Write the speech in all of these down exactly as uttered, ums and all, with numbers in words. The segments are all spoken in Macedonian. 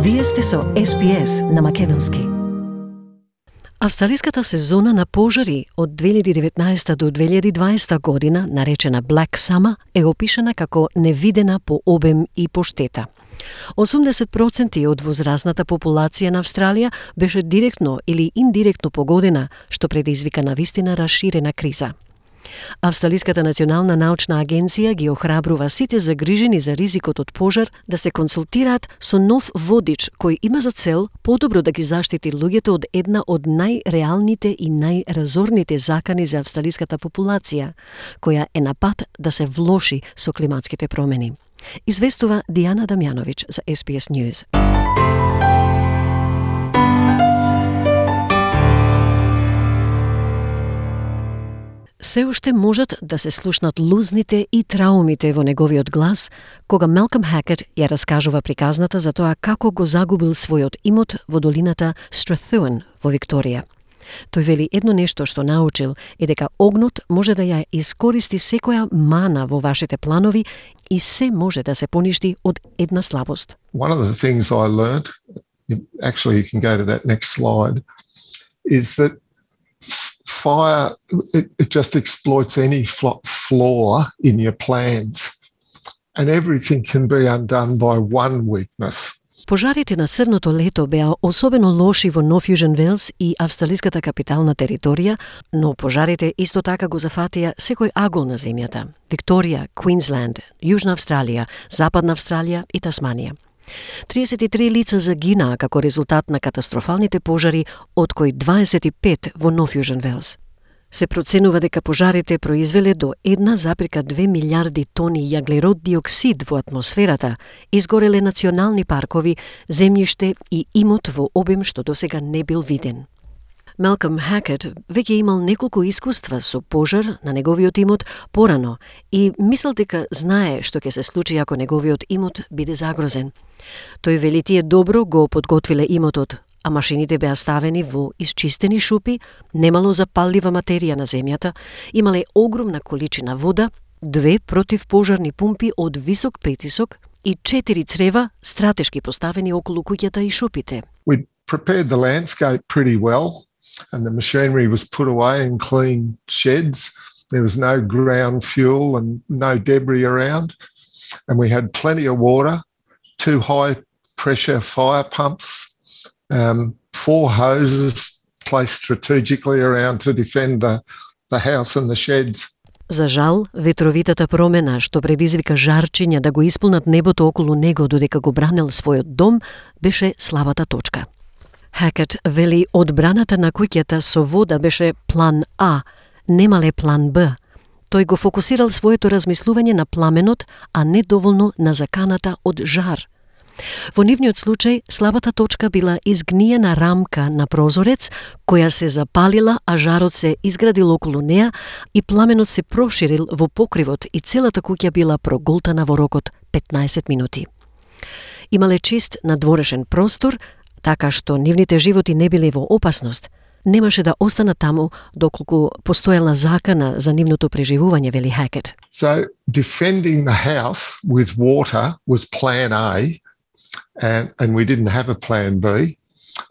Вие сте со Ес Би Ес на македонски. Австралиската сезона на пожари од две илјади и деветнаесета до две илјади и дваесета година, наречена Black Summer, е опишана како невидена по обем и по штета. осумдесет проценти од возрастната популација на Австралија беше директно или индиректно погодена, што предизвика навистина расширена криза. Австралиската национална научна агенција ги охрабрува сите загрижени за ризикот од пожар да се консултираат со нов водич кој има за цел подобро да ги заштити луѓето од една од најреалните и најразорните закани за австралиската популација, која е на пат да се влоши со климатските промени. Известува Дијана Дамјановиќ за Ес Би Ес News. Се уште можат да се слушнат лузните и траумите во неговиот глас, кога Малком Хакет ја раскажува приказната за тоа како го загубил својот имот во долината Strathewen во Викторија. Тој вели едно нешто што научил е дека огнот може да ја искористи секоја мана во вашите планови и се може да се поништи од една слабост. One of the things I learned, actually you can go to that next slide, is that fire, it, it just exploits any flaw in your plans, and everything can be undone by one weakness. Пожарите на црното лето беа особено лоши во Нов Јужен Велс и австралиската капитална територија, но пожарите исто така го зафатија секој агол на земјата: Викторија, Квинсленд, Јужна Австралија, Западна Австралија и Тасманија. триесет и три лица загинаа како резултат на катастрофалните пожари, од кои дваесет и пет во Нов Јужен Велс. Се проценува дека пожарите произвеле до една запирка две милиарди тони јаглерод диоксид во атмосферата, изгореле национални паркови, земјиште и имот во обем што досега не бил виден. Малком Хакет веќе имал неколку искуства со пожар на неговиот имот порано и мислел дека знае што ќе се случи ако неговиот имот биде загрозен. Тој вели тие добро го подготвиле имотот, а машините беа ставени во исчистени шупи, немало запаллива материја на земјата, имале огромна количина вода, две противпожарни пумпи од висок притисок и четири црева стратешки поставени околу куќата и шупите. We prepared the landscape pretty well, and the machinery was put away in clean sheds. There was no ground fuel and no debris around, and we had plenty of water, two high pressure fire pumps, um, four hoses placed strategically around to defend the, the house and the sheds. За жал, ветровитата промена што предизвика жарчиња да го исполнат небото околу него додека го бранел својот дом, беше слабата точка. Хакет вели одбраната на куќата со вода беше план А, немале план Б. Тој го фокусирал своето размислување на пламенот, а не доволно на заканата од жар. Во нивниот случај, слабата точка била изгниена рамка на прозорец, која се запалила, а жарот се изградил околу неа и пламенот се проширил во покривот и целата куќа била проголтана во рокот петнаесет минути. Имале чист надворешен простор, така што нивните животи не биле во опасност. Немаше да останат таму доколку постоела закана за нивното преживување, вели Хакет. So defending the house with water was plan A, and, and we didn't have a plan B.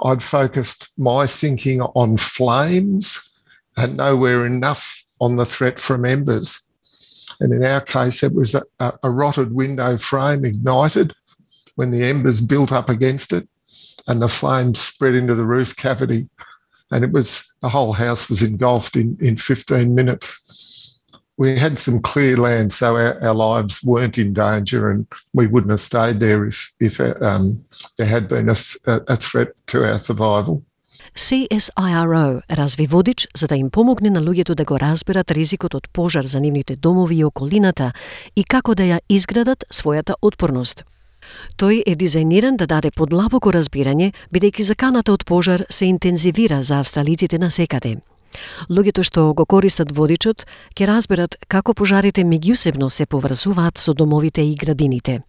I'd focused my thinking on flames and nowhere enough on the threat from embers. And in our case, it was a, a, a rotted window frame ignited when the embers built up against it, and the flames spread into the roof cavity, and it was the whole house was engulfed in, in fifteen minutes. We had some clear land, so our, our lives weren't in danger, and we wouldn't have stayed there if, if um, there had been a, a threat to our survival. Си Ес Ај Ар О разви водич за да им помогне на луѓето да го разберат ризикот од пожар за нивните домови и околината и како да ја изградат својата отпорност. Тој е дизајниран да даде подлабоко разбирање, бидејќи заканата од пожар се интензивира за австралиците насекаде. Луѓето што го користат водичот ќе разберат како пожарите меѓусебно се поврзуваат со домовите и градините.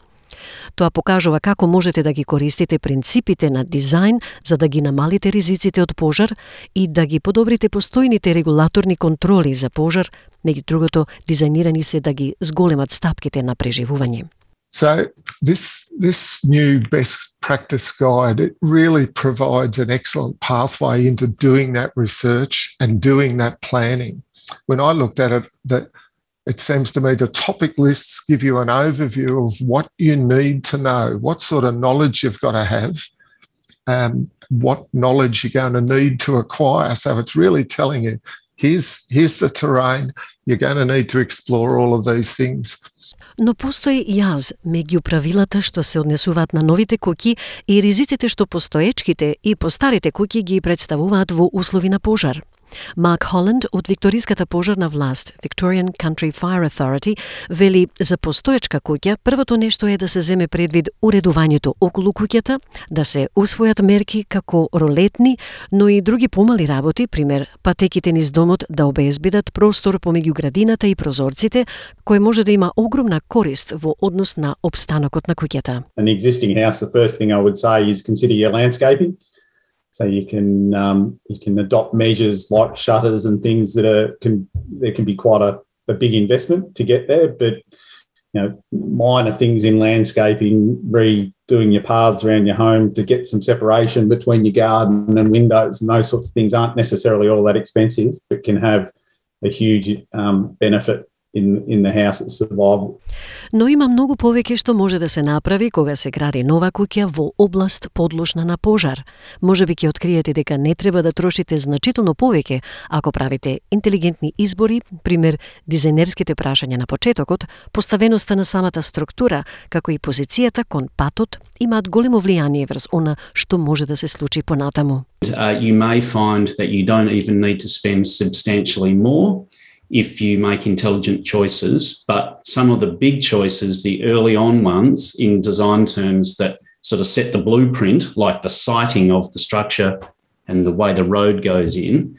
Тоа покажува како можете да ги користите принципите на дизајн за да ги намалите ризиците од пожар и да ги подобрите постојните регулаторни контроли за пожар, меѓу другото дизајнирани се да ги зголемат стапките на преживување. So this, this new best practice guide, it really provides an excellent pathway into doing that research and doing that planning. When I looked at it, that it seems to me the topic lists give you an overview of what you need to know, what sort of knowledge you've got to have, um, what knowledge you're going to need to acquire. So it's really telling you, here's, here's the terrain, you're going to need to explore all of these things. Но постои јаз меѓу правилата што се однесуваат на новите куќи и ризиците што постоечките и постарите куќи ги представуваат во услови на пожар. Марк Холанд од викториската пожарна власт, Victorian Country Fire Authority, вели за постоечка куќа првото нешто е да се земе предвид уредувањето околу куќата, да се усвојат мерки како ролетни, но и други помали работи, пример патеките низ домот да обезбедат простор помеѓу градината и прозорците, кој може да има огромна корист во однос на обстанокот на куќата. An existing house, the first thing I would say is consider your landscaping. So you can um, you can adopt measures like shutters and things that are can there can be quite a, a big investment to get there, but you know minor things in landscaping, redoing your paths around your home to get some separation between your garden and windows and those sorts of things aren't necessarily all that expensive, but can have a huge um, benefit in in the house's survival. Но има многу повеќе што може да се направи кога се гради нова куќа во област подложна на пожар. Можеби ќе откриете дека не треба да трошите значително повеќе ако правите интелигентни избори, пример дизајнерските прашања на почетокот, поставеноста на самата структура, како и позицијата кон патот имаат големо влијание врз она што може да се случи понатаму. Uh, you may find that you don't even need to spend substantially more if you make intelligent choices, but some of the big choices, the early on ones in design terms that sort of set the blueprint, like the siting of the structure and the way the road goes in,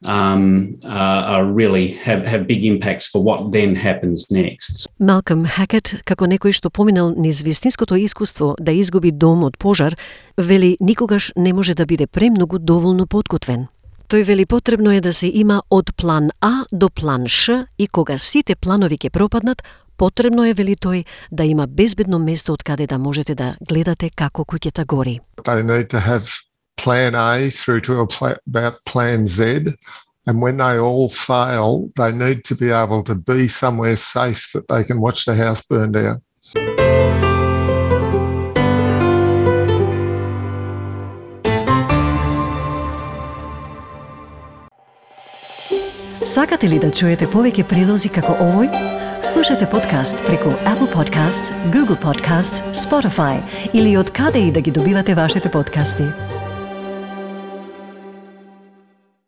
um, uh, are really have, have big impacts for what then happens next. Малком Хакет, како некој што поминал низ вистинското искуство да изгуби дом од пожар, вели никогаш не може да биде премногу доволно подготвен. Тој вели потребно е да се има од план А до план Ш и кога сите планови ќе пропаднат, потребно е, вели тој, да има безбедно место од каде да можете да гледате како куќата гори. They need to have plan A through to about plan Z, and when they all fail, they need to be able to be somewhere safe that they can watch the house burn down. Сакате ли да чуете повеќе прилози како овој? Слушате подкаст преку Apple Podcasts, Google Podcasts, Spotify или од каде и да ги добивате вашите подкасти.